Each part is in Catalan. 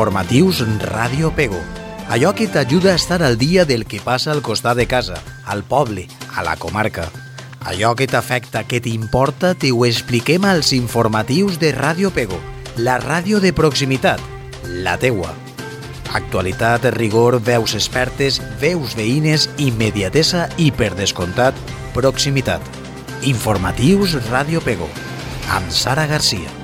Informatius Ràdio Pego. Allò que t'ajuda a estar al dia del que passa al costat de casa, al poble, a la comarca. Allò que t'afecta, que t'importa, t'ho expliquem als informatius de Ràdio Pego, la ràdio de proximitat, la teua. Actualitat, rigor, veus expertes, veus veïnes, immediatesa i, per descomptat, proximitat. Informatius Ràdio Pego, amb Sara Garcia.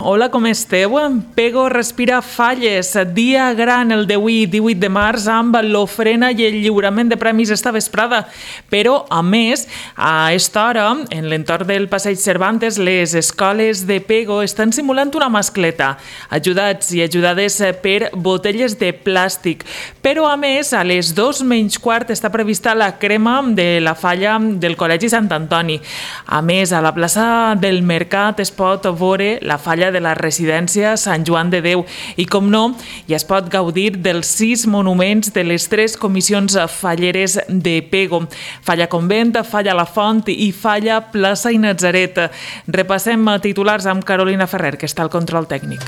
Hola, com esteu? Pego respira falles. Dia gran el d'avui, 18 de març, amb l'ofrena i el lliurament de premis esta vesprada. Però, a més, a esta hora, en l'entorn del Passeig Cervantes, les escoles de Pego estan simulant una mascleta, ajudats i ajudades per botelles de plàstic. Però, a més, a les 2:15 està prevista la crema de la falla del Col·legi Sant Antoni. A més, a la plaça del Mercat es pot veure la falla de la residència Sant Joan de Déu i, com no, ja es pot gaudir dels 6 monuments de les 3 comissions falleres de Pego: Falla Convent, Falla La Font i Falla Plaça i Natzaret. Repassem titulars amb Carolina Ferrer, que està al control tècnic.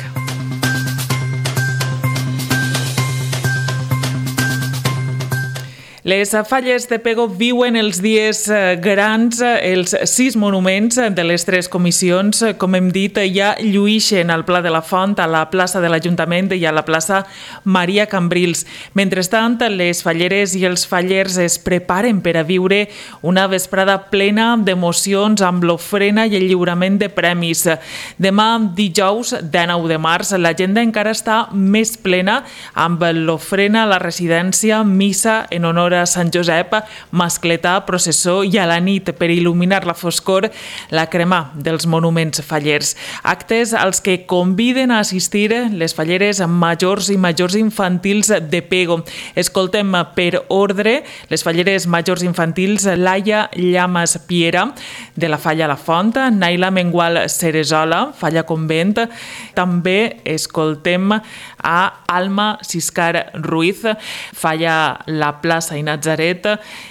Les falles de Pego viuen els dies grans, els 6 monuments de les 3 comissions, com hem dit, ja lluïxen al Pla de la Font, a la plaça de l'Ajuntament i a la plaça Maria Cambrils. Mentrestant, les falleres i els fallers es preparen per a viure una vesprada plena d'emocions amb l'ofrena i el lliurament de premis. Demà, dijous, 19 de març, l'agenda encara està més plena amb l'ofrena a la residència, missa en honor a Sant Josep, mascletà, processó i a la nit, per il·luminar la foscor, la crema dels monuments fallers. Actes als que conviden a assistir les falleres majors i majors infantils de Pego. Escoltem per ordre les falleres majors infantils: Laia Llamas Piera, de la Falla La Font; Naila Mengual Ceresola, Falla Convent. També escoltem a Alma Siscar Ruiz, Falla La Plaça i Natzaret,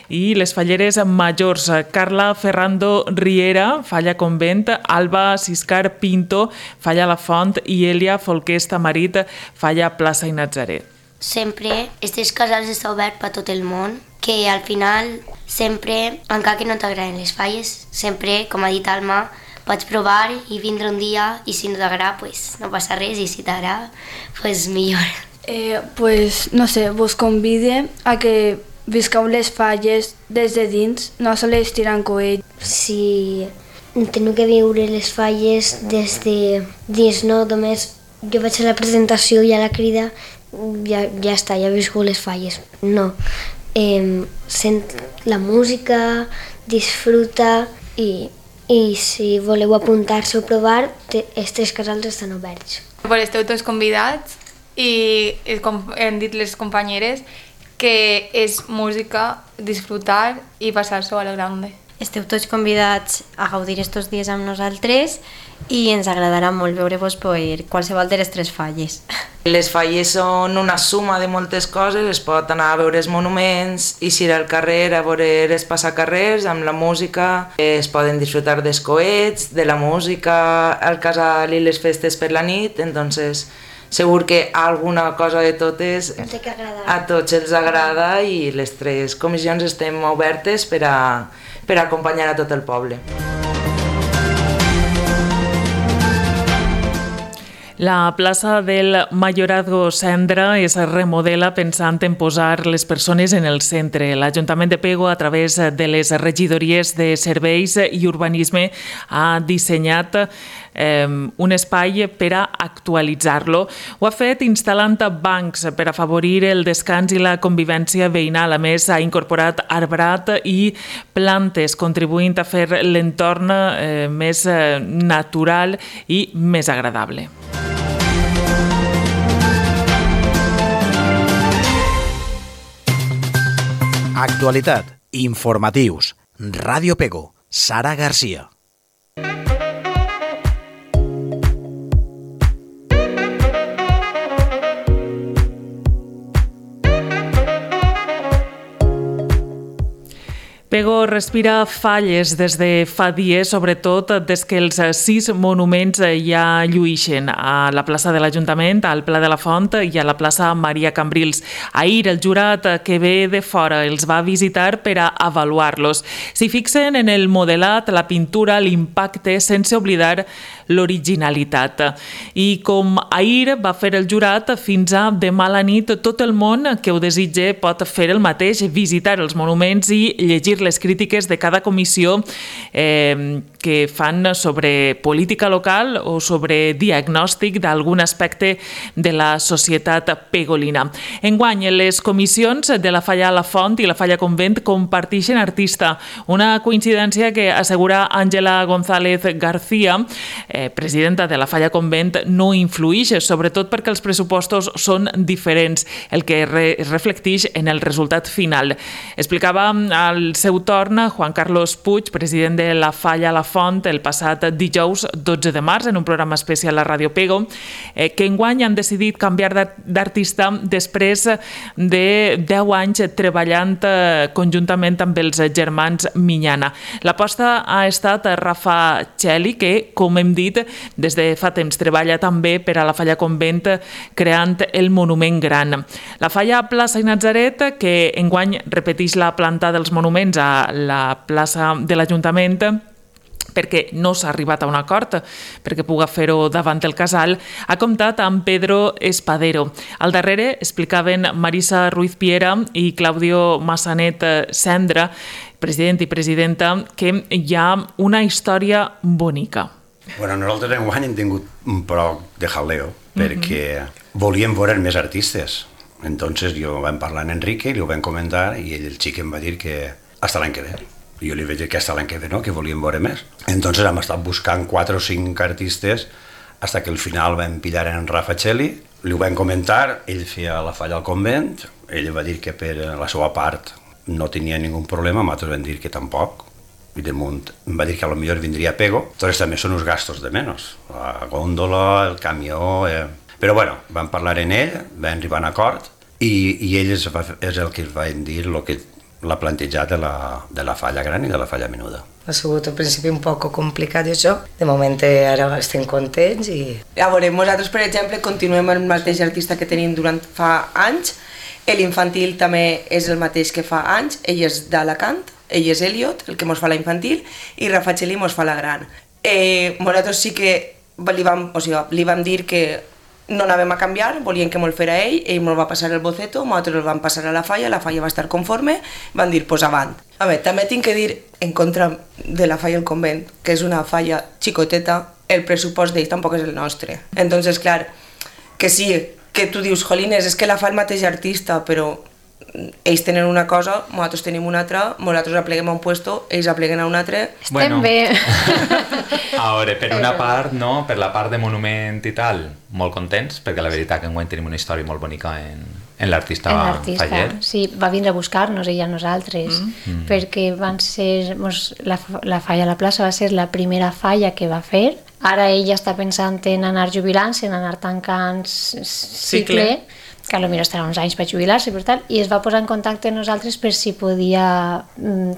i les falleres majors: Carla Ferrando Riera, Falla Convent; Alba Siscar Pinto, Falla La Font; i Elia Folqués Tamarit, Falla Plaça i Natzaret. Sempre aquests casals estan oberts per tot el món, que al final sempre, encara que no t'agraden les falles, sempre, com ha dit Alma, pots provar i vindre un dia, i si no t'agrada, pues no passa res, i si t'agrada, pues millor. Pues no sé, vos convide a que visqueu les falles des de dins, no sols tirant coet. Si teniu que viure les falles des de dins, no només jo vaig a la presentació i a la crida, ja està, ja he viscut les falles. No, sent la música, disfruta i si voleu apuntar-se o provar, els 3 casals estan oberts. Esteu tots convidats i, com han dit les companyeres, que és música, disfrutar i passar-s'ho a la grande. Esteu tots convidats a gaudir estos dies amb nosaltres i ens agradarà molt veure-vos per qualsevol de les 3 falles. Les falles són una suma de moltes coses, es pot anar a veure els monuments, eixir al carrer a veure els passacarrers amb la música, es poden disfrutar dels coets, de la música, al casal i les festes per la nit, entonces segur que alguna cosa de totes a tots els agrada i les 3 comissions estem obertes per a acompanyar a tot el poble. La plaça del Mayorazgo Cendra es remodela pensant en posar les persones en el centre. L'Ajuntament de Pego, a través de les regidories de Serveis i Urbanisme, ha dissenyat un espai per a actualitzar-lo. Ho ha fet instal·lant bancs per afavorir el descans i la convivència veïnal. A més, ha incorporat arbrat i plantes, contribuint a fer l'entorn més natural i més agradable. Actualitat, informatius, Ràdio Pego, Sara Garcia. Pego respira falles des de fa dies, sobretot des que els 6 monuments ja lluïxen a la plaça de l'Ajuntament, al Pla de la Font i a la plaça Maria Cambrils. Ahir el jurat que ve de fora els va visitar per a avaluar-los. S'hi fixen en el modelat, la pintura, l'impacte, sense oblidar l'originalitat. I com ahir va fer el jurat, fins a demà a la nit tot el món que ho desitge pot fer el mateix, visitar els monuments i llegir les crítiques de cada comissió que fan sobre política local o sobre diagnòstic d'algun aspecte de la societat pegolina. Enguany, les comissions de la Falla a la Font i la Falla Convent comparteixen artista, una coincidència que assegura Àngela González García, presidenta de la Falla Convent, no influïx, sobretot perquè els pressupostos són diferents, el que es reflecteix en el resultat final. Explicava al seu torn Juan Carlos Puig, president de la Falla a la Font, el passat dijous 12 de març, en un programa especial a Ràdio Pego, que enguany han decidit canviar d'artista després de 10 anys treballant conjuntament amb els germans Miñana. L'aposta ha estat Rafa Txeli, que, com hem dit, des de fa temps treballa també per a la Falla Convent creant el monument gran. La Falla Plaça i Natzaret, que enguany repeteix la planta dels monuments a la plaça de l'Ajuntament, perquè no s'ha arribat a un acord perquè puga fer-ho davant el casal, ha comptat amb Pedro Espadero. Al darrere explicaven Marisa Ruiz Piera i Claudio Massanet Cendra, president i presidenta, que hi ha una història bonica. Bueno, nosaltres enguany hem tingut un poc de jaleo perquè volíem veure més artistes. Entonces jo vam parlar amb Enrique i li ho vam comentar i ell, el xic, em va dir que hasta l'any que ve. I jo li vaig dir que hasta l'any que ve no, que volíem veure més. Entonces hem estat buscant 4 o 5 artistes hasta que al final vam pillar en Rafa Txeli, li ho vam comentar, ell feia la Falla al Convent, ell va dir que per la seva part no tenia ningú problema, nosaltres vam dir que tampoc, i de munt em va dir que a lo millor vindria Pego, entonces també són uns gastos de menys, la góndola, el camió... Però bueno, vam parlar en ell, vam arribar a un acord i ell és el que va dir el que l'ha plantejat de la Falla Gran i de la Falla Menuda. Ha sigut al principi un poc complicat això, de moment ara estem contents i... A veure, nosaltres per exemple continuem amb el mateix artista que tenim durant fa anys, l'infantil també és el mateix que fa anys, ell és d'Alacant, ell és Elliot, el que mos fa la infantil, i Rafa Txeli mos fa la gran. Nosaltres sí que li vam dir que no anàvem a canviar, volien que me'l fera ell me'l va passar el boceto, nosaltres el vam passar a la Falla va estar conforme, van dir, pues avant. A veure, també tinc que dir, en contra de la Falla al Convent, que és una falla xicoteta, el pressupost d'ell tampoc és el nostre. Entonces, clar, que sí, que tu dius, jolines, és que la fa el mateix artista, però ells tenen una cosa, nosaltres tenim una altra, nosaltres apleguem a un puesto, ells apleguen a un altre. Estem bé. A veure, per una part, no, per la part de monument i tal, molt contents, perquè la veritat que enguany tenim una història molt bonica en l'artista Faller. Sí, va vindre a buscar-nos ella a nosaltres, perquè van ser, la Falla a la plaça va ser la primera falla que va fer. Ara ella està pensant en anar jubilant-se, en anar tancant cicle, que potser estarà uns anys per jubilar-se, per tal, i es va posar en contacte amb nosaltres per si podia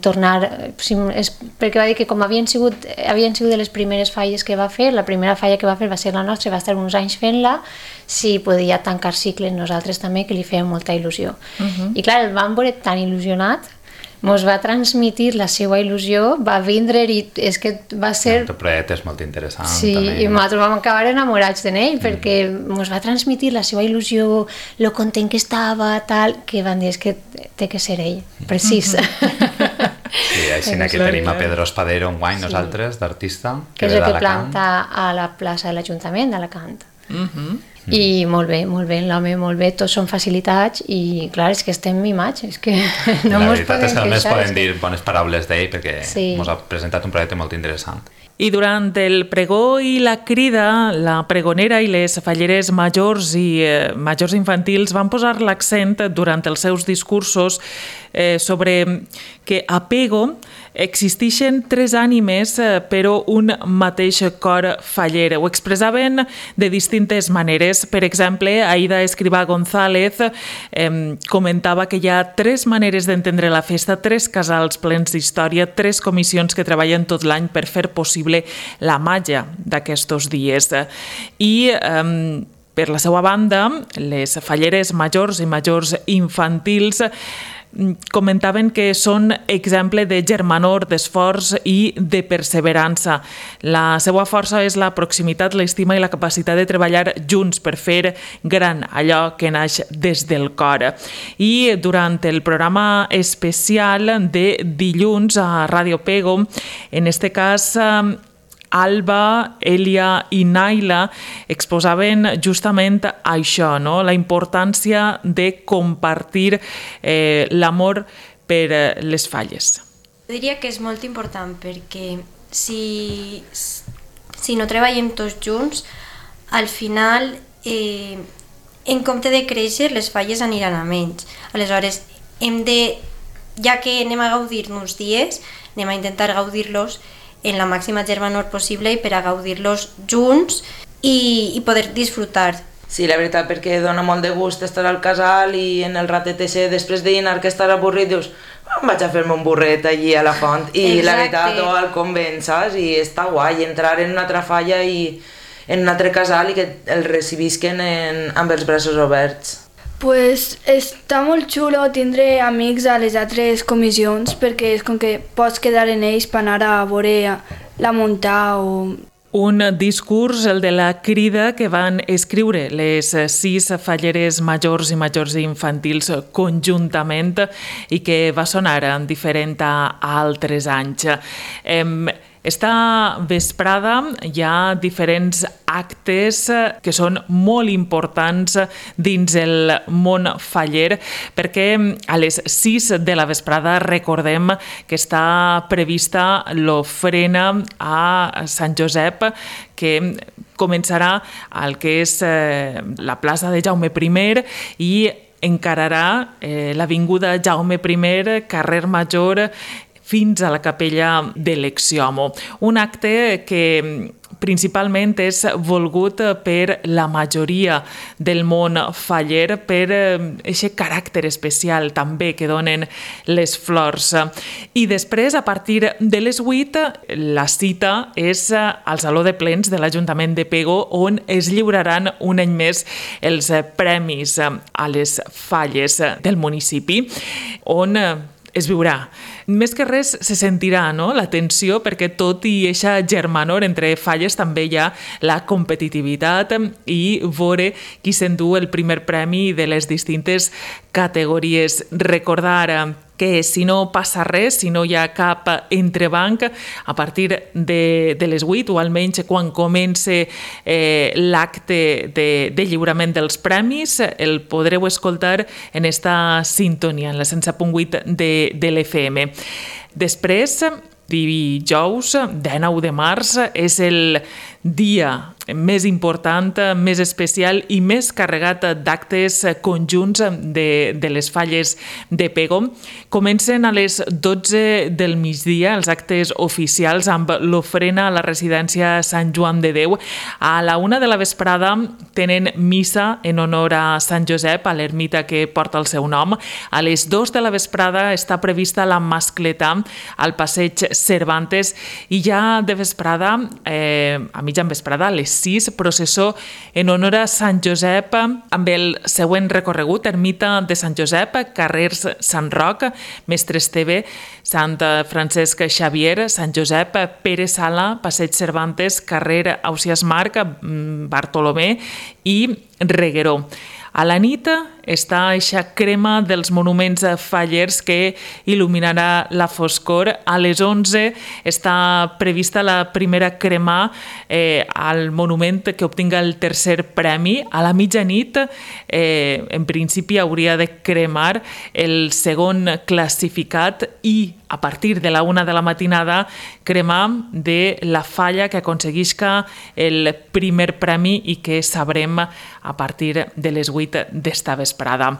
tornar, perquè va dir que com havien sigut de les primeres falles que va fer, la primera falla que va fer va ser la nostra, va estar uns anys fent-la, si podia tancar cicle nosaltres també, que li feia molta il·lusió. I clar, el vam veure tan il·lusionat, mos va transmitir la seva il·lusió, va vindre i és que va ser... El projecte és molt interessant. Sí, també. I nosaltres vam acabar enamorats d'ell, perquè mos va transmitir la seva il·lusió, lo content que estava, tal, que van dir, és que té que ser ell, precís. Sí, així que tenim a Pedro Espadero enguany, nosaltres, d'artista, que és el que planta a la plaça de l'Ajuntament d'Alacant. I molt bé, l'home molt bé, tots són facilitats i clar, és que estem mimats, és que no mos podem queixar. La veritat és que només podem dir bones paraules d'ell perquè ens ha presentat un projecte molt interessant. I durant el pregó i la crida, la pregonera i les falleres majors i majors infantils van posar l'accent durant els seus discursos sobre que a Pego existeixen 3 ànimes però un mateix cor faller. Ho expressaven de distintes maneres. Per exemple, Aida Escrivà González comentava que hi ha 3 maneres d'entendre la festa, 3 casals plens d'història, 3 comissions que treballen tot l'any per fer possible la màgia d'aquests dies. I per la seva banda, les falleres majors i majors infantils comentaven que són exemple de germanor, d'esforç i de perseverança. La seva força és la proximitat, l'estima i la capacitat de treballar junts per fer gran allò que naix des del cor. I durant el programa especial de dilluns a Ràdio Pego, en este cas Alba, Elia i Naila exposaven justament això, no? La importància de compartir l'amor per les falles. Jo diria que és molt important perquè si no treballem tots junts, al final, en compte de créixer, les falles aniran a menys. Aleshores, ja que anem a gaudir-nos dies, anem a intentar gaudir-los en la màxima germanor possible i per a gaudir-los junts i poder disfrutar. Sí, la veritat, perquè dona molt de gust estar al casal i en el ratet ese, després de dinar que estàs avorrit, dius, vaig a fer-me un burret allí a la font. I la veritat, o al convent, saps? I està guai entrar en una altra falla i en un altre casal i que el recibisquen amb els braços oberts. Pues està molt xulo tindre amics a les altres comissions perquè és com que pots quedar en ells per anar a veure la muntà o... Un discurs, el de la crida que van escriure les 6 falleres majors i majors infantils conjuntament i que va sonar diferent a altres anys. Esta vesprada hi ha diferents actes que són molt importants dins el món faller perquè a les 6 de la vesprada recordem que està prevista l'ofrena a Sant Josep que començarà al que és la plaça de Jaume I i encararà l'avinguda Jaume I, carrer Major, fins a la capella de l'Exiomo. Un acte que principalment és volgut per la majoria del món faller, per aquest caràcter especial també que donen les flors. I després, a partir de les 8, la cita és al Saló de Plens de l'Ajuntament de Pego, on es lliuraran un any més els premis a les falles del municipi, on es viurà. Més que res se sentirà, no?, la tensió, perquè tot i eixa germanor entre falles també hi ha la competitivitat i veure qui s'endú el primer premi de les distintes categories. Recordar que si no passa res, si no hi ha cap entrebanc, a partir de les 8 o almenys quan comença l'acte de lliurament dels premis, el podreu escoltar en esta sintonia, en la 107.8 de l'FM. Després, dijous, 19 de març, és el dia més important, més especial i més carregat d'actes conjunts de les falles de Pego. Comencen a les 12 del migdia els actes oficials amb l'ofrena a la residència Sant Joan de Déu. A la 1 de la vesprada tenen missa en honor a Sant Josep, a l'ermita que porta el seu nom. A les 2 de la vesprada està prevista la mascletà al passeig Cervantes i ja de vesprada, a mitjan vesprada, a les 6, processó en honor a Sant Josep amb el següent recorregut: ermita de Sant Josep, carrers Sant Roc, Mestre Esteve, Sant Francesc Xavier, Sant Josep, Pere Sala, passeig Cervantes, carrer Ausiàs Marc, Bartolomé i Regueró. A la nit està eixa crema dels monuments fallers que il·luminarà la foscor. A les 11 està prevista la primera crema al monument que obtinga el tercer premi. A la mitjanit, en principi, hauria de cremar el segon classificat i a partir de la 1 de la matinada cremar de la falla que aconseguisca el primer premi i que sabrem a partir de les 8 d'esta vesprada.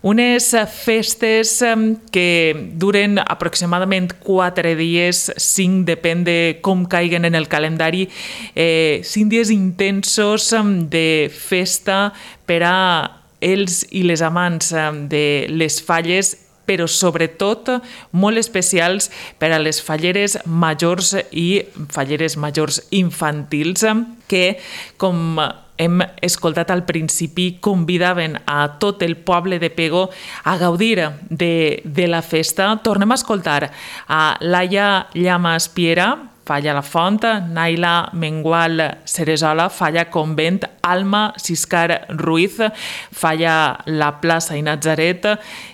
Unes festes que duren aproximadament 4 dies, 5 depèn de com caiguen en el calendari, 5 dies intensos de festa per a els i les amants de les falles, però sobretot molt especials per a les falleres majors i falleres majors infantils que, com hem escoltat al principi, convidaven a tot el poble de Pego a gaudir de la festa. Tornem a escoltar a Laia Llamas Piera, Falla la Font, Naila Mengual Ceresola, Falla Convent, Alma Siscar Ruiz, Falla la Plaça i Natzaret,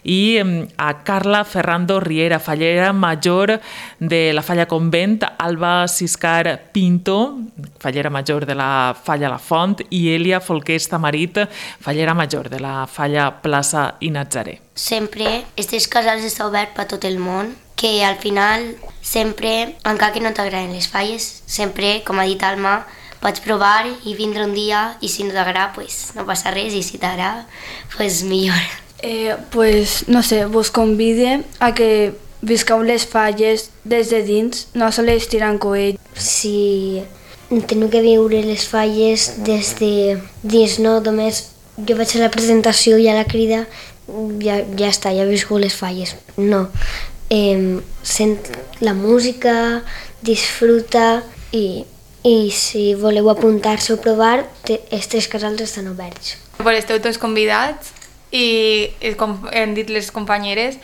i a Carla Ferrando Riera, fallera major de la Falla Convent, Alba Siscar Pinto, fallera major de la Falla la Font, i Elia Folqués Tamarit, fallera major de la Falla Plaça i Natzaret. Sempre aquests casals estan oberts per tot el món, que al final sempre, encara que no t'agraden les falles, sempre, com ha dit Alma, pots provar i vindre un dia i si no t'agrada, pues no passa res, i si t'agrada, pues millor. Pues no sé, vos convide a que visqueu les falles des de dins, no sols tirant coet. Si teniu que viure les falles des de dins, no només jo vaig a la presentació i a la crida, ja està, ja he viscut les falles. No, sent la música, disfruta i si voleu apuntar-se o provar, els 3 casals estan oberts. Pues esteu tots convidats i com hem dit les companyeres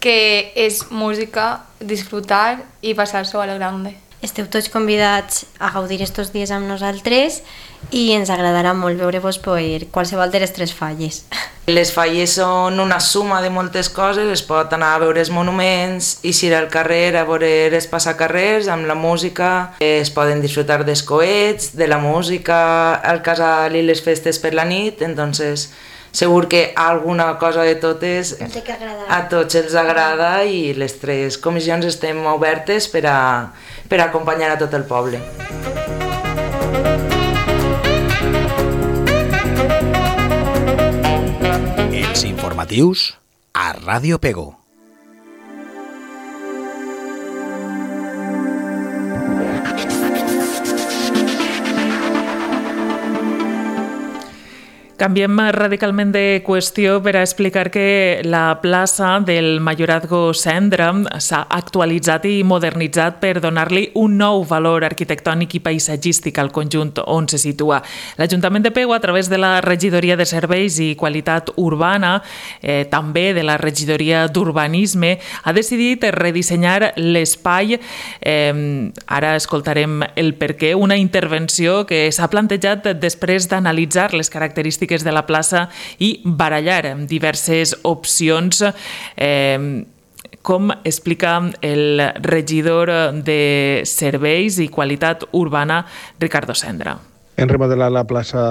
que és música, disfrutar i passar-s'ho a la grande. Esteu tots convidats a gaudir estos dies amb nosaltres i ens agradarà molt veure-vos per qualsevol de les 3 falles. Les falles són una suma de moltes coses, es pot anar a veure els monuments, eixir al carrer a veure els passacarrers amb la música, es poden disfrutar dels coets, de la música, al casal i les festes per la nit, entonces segur que alguna cosa de totes a tots els agrada i les 3 comissions estem obertes per a acompanyar a tot el poble. Els informatius a Ràdio Pego. Canviem radicalment de qüestió per a explicar que la plaça del Mayorazgo Cendra s'ha actualitzat i modernitzat per donar-li un nou valor arquitectònic i paisatgístic al conjunt on se situa. L'Ajuntament de Pego, a través de la Regidoria de Serveis i Qualitat Urbana, també de la Regidoria d'Urbanisme, ha decidit redissenyar l'espai. Ara escoltarem el perquè, una intervenció que s'ha plantejat després d'analitzar les característiques de la plaça i barallar diverses opcions, com explica el regidor de Serveis i Qualitat Urbana, Ricardo Cendra. Hem remodelat la plaça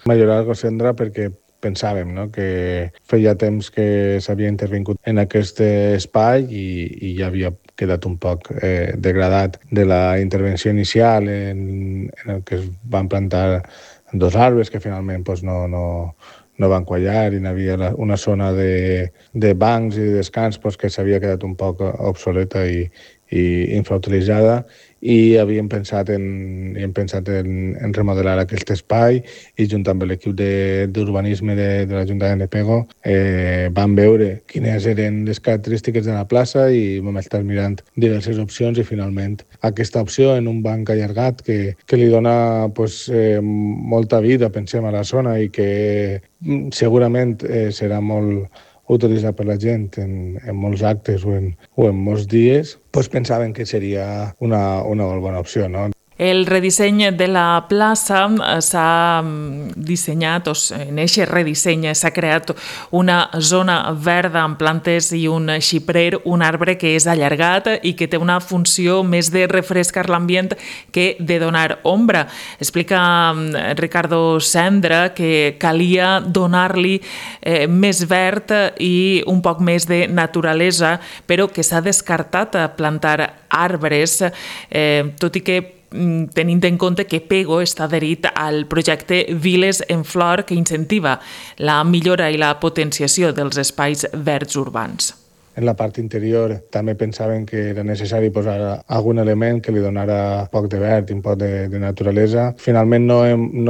Mayorazgo Cendra perquè pensàvem que feia temps que s'havia intervingut en aquest espai i ja havia quedat un poc degradat de la intervenció inicial en el que es van plantar 2 arbres que finalment no van quallar i hi havia una zona de bancs i de descans que s'havia quedat un poc obsoleta i infrautilitzada, i havíem pensat en remodelar aquest espai i junt amb l'equip d'urbanisme de l'Ajuntament de Pego vam veure quines eren les característiques de la plaça i vam estar mirant diverses opcions i finalment aquesta opció en un banc allargat que li dona molta vida, pensem, a la zona i que segurament serà molt utilitzat per la gent en molts actes o en molts dies, pensàvem que seria una molt bona opció, no? El redisseny de la plaça s'ha dissenyat, en aquest redisseny s'ha creat una zona verda amb plantes i un xiprer, un arbre que és allargat i que té una funció més de refrescar l'ambient que de donar ombra. Explica Ricardo Sendra que calia donar-li més verd i un poc més de naturalesa, però que s'ha descartat plantar arbres, tot i que tenint en compte que Pego està adherit al projecte Viles en Flor, que incentiva la millora i la potenciació dels espais verds urbans. En la part interior també pensaven que era necessari posar algun element que li donara poc de verd i un poc de naturalesa. Finalment no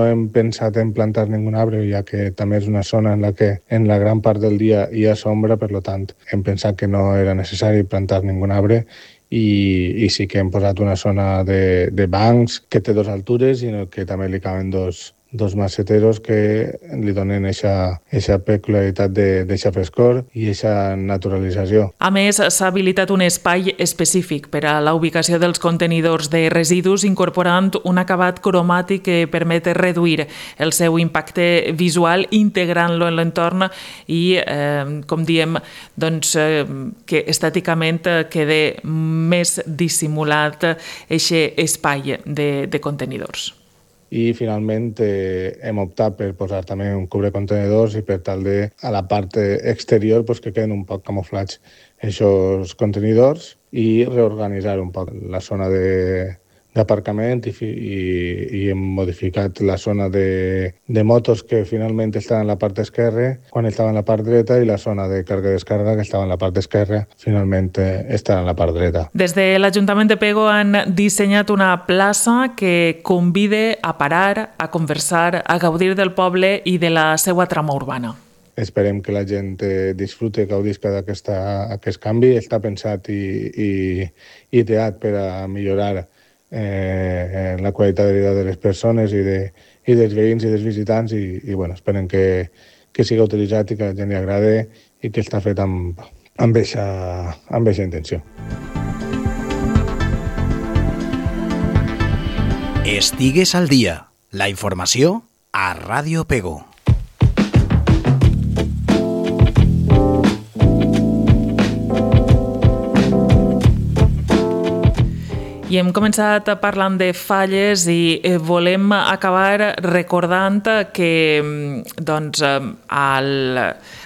hem pensat en plantar ningun arbre, ja que també és una zona en la que en la gran part del dia hi ha sombra, per tant hem pensat que no era necessari plantar ningun arbre i sí que hem posat una zona de bancs que té 2 altures i que també li caben dos maceteros que li donen aquesta peculiaritat d'aquesta frescor i aquesta naturalització. A més, s'ha habilitat un espai específic per a la ubicació dels contenidors de residus, incorporant un acabat cromàtic que permet reduir el seu impacte visual, integrant-lo en l'entorn i, com diem, doncs, que estèticament quede més dissimulat aquest espai de contenidors. I finalment hem optat per posar també un cubrecontenedors i per tal de a la part exterior que queden un poc camuflats aquests contenidors i reorganitzar un poc la zona d'aparcament i hem modificat la zona de motos que finalment estaven en la part esquerra quan estava en la part dreta i la zona de càrrega i descàrrega que estava en la part esquerra finalment està en la part dreta. Des de l'Ajuntament de Pego han dissenyat una plaça que convida a parar, a conversar, a gaudir del poble i de la seva trama urbana. Esperem que la gent disfrute i gaudisca d'aquest canvi. Està pensat i ideat per a millorar la qualitat de vida de les persones i dels veïns i dels visitants i esperem que siga utilitzat i que a la gent li agrade i que està fet amb aquesta intenció. Estigues al dia. La informació a Ràdio Pego. I hem començat parlant de falles i volem acabar recordant que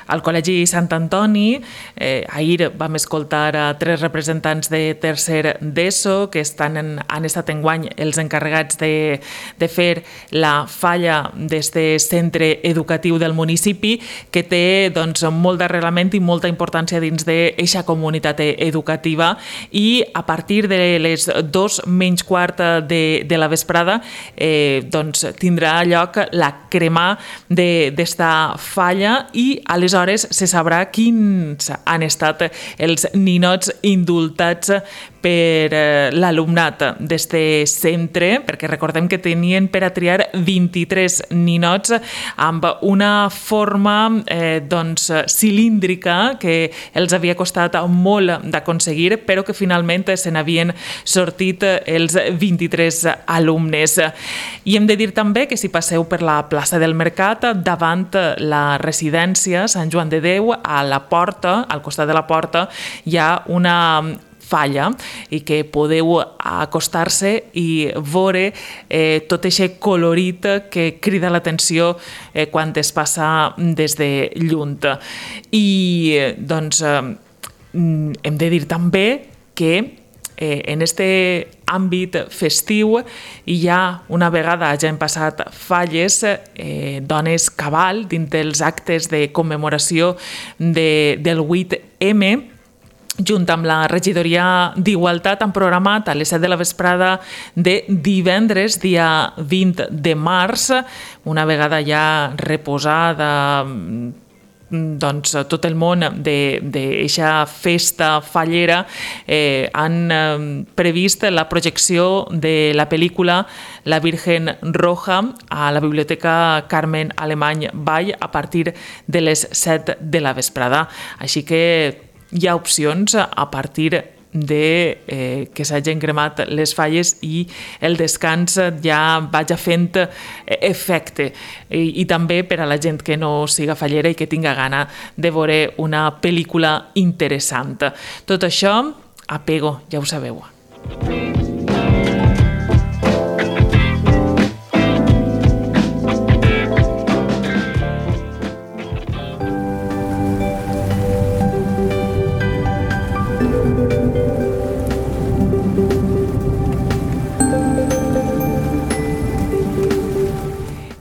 al Col·legi Sant Antoni ahir vam escoltar a 3 representants de tercer d'ESO que han estat enguany els encarregats de fer la falla d'aquest centre educatiu del municipi que té molt d'arrelament i molta importància dins d'aquesta comunitat educativa i a partir de les 2:15 de la vesprada tindrà lloc la cremà d'esta falla i aleshores se sabrà quins han estat els ninots indultats per l'alumnat d'aquest centre, perquè recordem que tenien per a triar 23 ninots amb una forma cilíndrica que els havia costat molt d'aconseguir, però que finalment se n'havien sortit els 23 alumnes. I hem de dir també que si passeu per la plaça del Mercat, davant la residència Sant Joan de Déu, a la porta, al costat de la porta, hi ha una falla i que podeu acostar-se i veure tot aquest colorit que crida l'atenció quan es passa des de lluny. I hem de dir també que en aquest àmbit festiu hi ha, una vegada ja han passat falles, dones cabal dins dels actes de commemoració del 8M. Junt amb la regidoria d'Igualtat han programat a les 7 de la vesprada de divendres, dia 20 de març, una vegada ja reposada tot el món d'aquesta festa fallera, han previst la projecció de la pel·lícula La Virgen Roja a la Biblioteca Carmen Alemany Vall a partir de les 7 de la vesprada. Així que hi ha opcions a partir de que s'hagin cremat les falles i el descans ja vagi fent efecte. I també per a la gent que no siga fallera i que tinga gana de veure una pel·lícula interessant. Tot això a Pego, ja ho sabeu.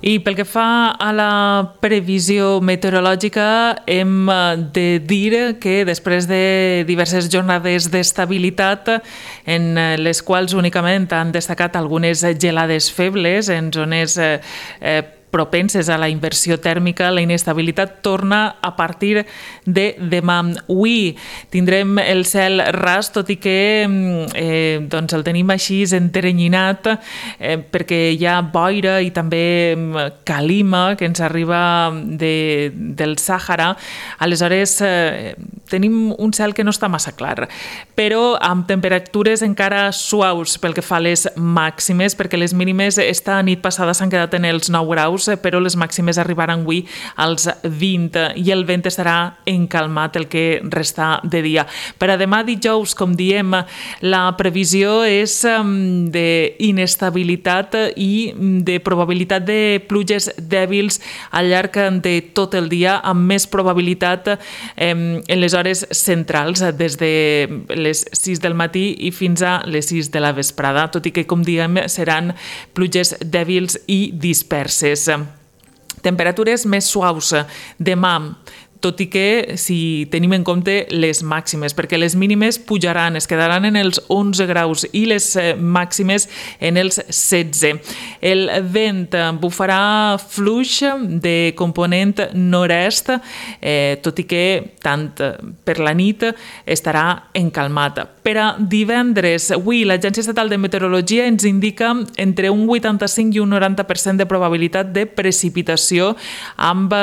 I pel que fa a la previsió meteorològica, hem de dir que després de diverses jornades d'estabilitat en les quals únicament han destacat algunes gelades febles en zones propenses a la inversió tèrmica, la inestabilitat torna a partir de demà. Avui tindrem el cel ras, tot i que el tenim així enterrenyinat perquè hi ha boira i també calima que ens arriba del Sàhara. Aleshores tenim un cel que no està massa clar, però amb temperatures encara suaus pel que fa a les màximes, perquè les mínimes esta nit passada s'han quedat en els 9 graus, però les màximes arribaran avui als 20 i el vent estarà encalmat el que resta de dia. Per a demà dijous, com diem, la previsió és d'inestabilitat i de probabilitat de pluges dèbils al llarg de tot el dia, amb més probabilitat en les hores centrals, des de les 6 del matí i fins a les 6 de la vesprada, tot i que, com diem, seran pluges dèbils i disperses. Temperatures més suaus demà, tot i que si tenim en compte les màximes, perquè les mínimes pujaran, es quedaran en els 11 graus i les màximes en els 16. El vent bufarà fluix de component nord-est, tot i que tant per la nit estarà encalmat. Per a divendres, avui l'Agència Estatal de Meteorologia ens indica entre un 85 i un 90% de probabilitat de precipitació amb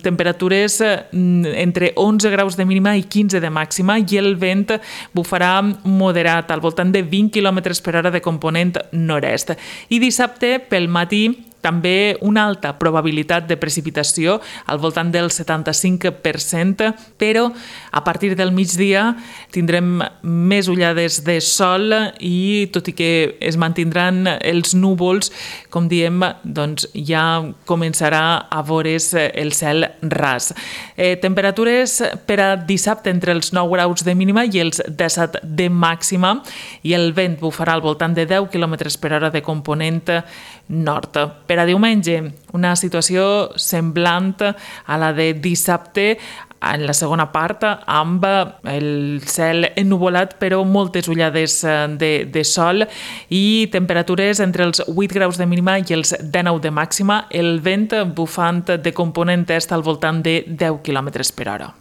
temperatures entre 11 graus de mínima i 15 de màxima, i el vent bufarà moderat al voltant de 20 km per hora de component nord-est. I dissabte pel matí també una alta probabilitat de precipitació al voltant del 75%, però a partir del migdia tindrem més ullades de sol i tot i que es mantindran els núvols, com diem, doncs ja començarà a veure's el cel ras. Temperatures per a dissabte entre els 9 graus de mínima i els 17 de màxima, i el vent bufarà al voltant de 10 km per hora de component nord. Per a diumenge, una situació semblant a la de dissabte en la segona part, amb el cel ennuvolat però moltes ullades de sol i temperatures entre els 8 graus de mínima i els 19 de màxima, el vent bufant de component est al voltant de 10 km per hora.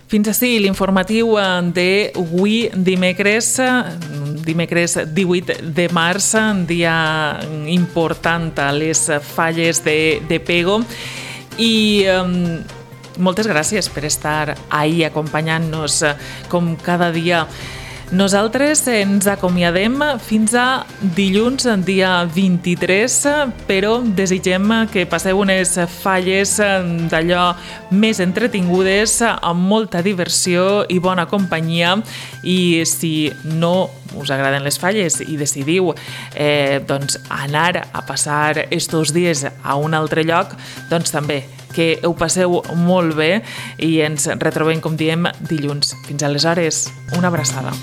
Fins ací l'informatiu d'avui dimecres 18 de març, dia important a les falles de Pego, i moltes gràcies per estar ahí acompanyant-nos com cada dia. Nosaltres ens acomiadem fins a dilluns, dia 23, però desitgem que passeu unes falles d'allò més entretingudes, amb molta diversió i bona companyia, i si no us agraden les falles i decidiu anar a passar estos dies a un altre lloc, doncs també que ho passeu molt bé i ens retrobem, com diem, dilluns. Fins aleshores, una abraçada.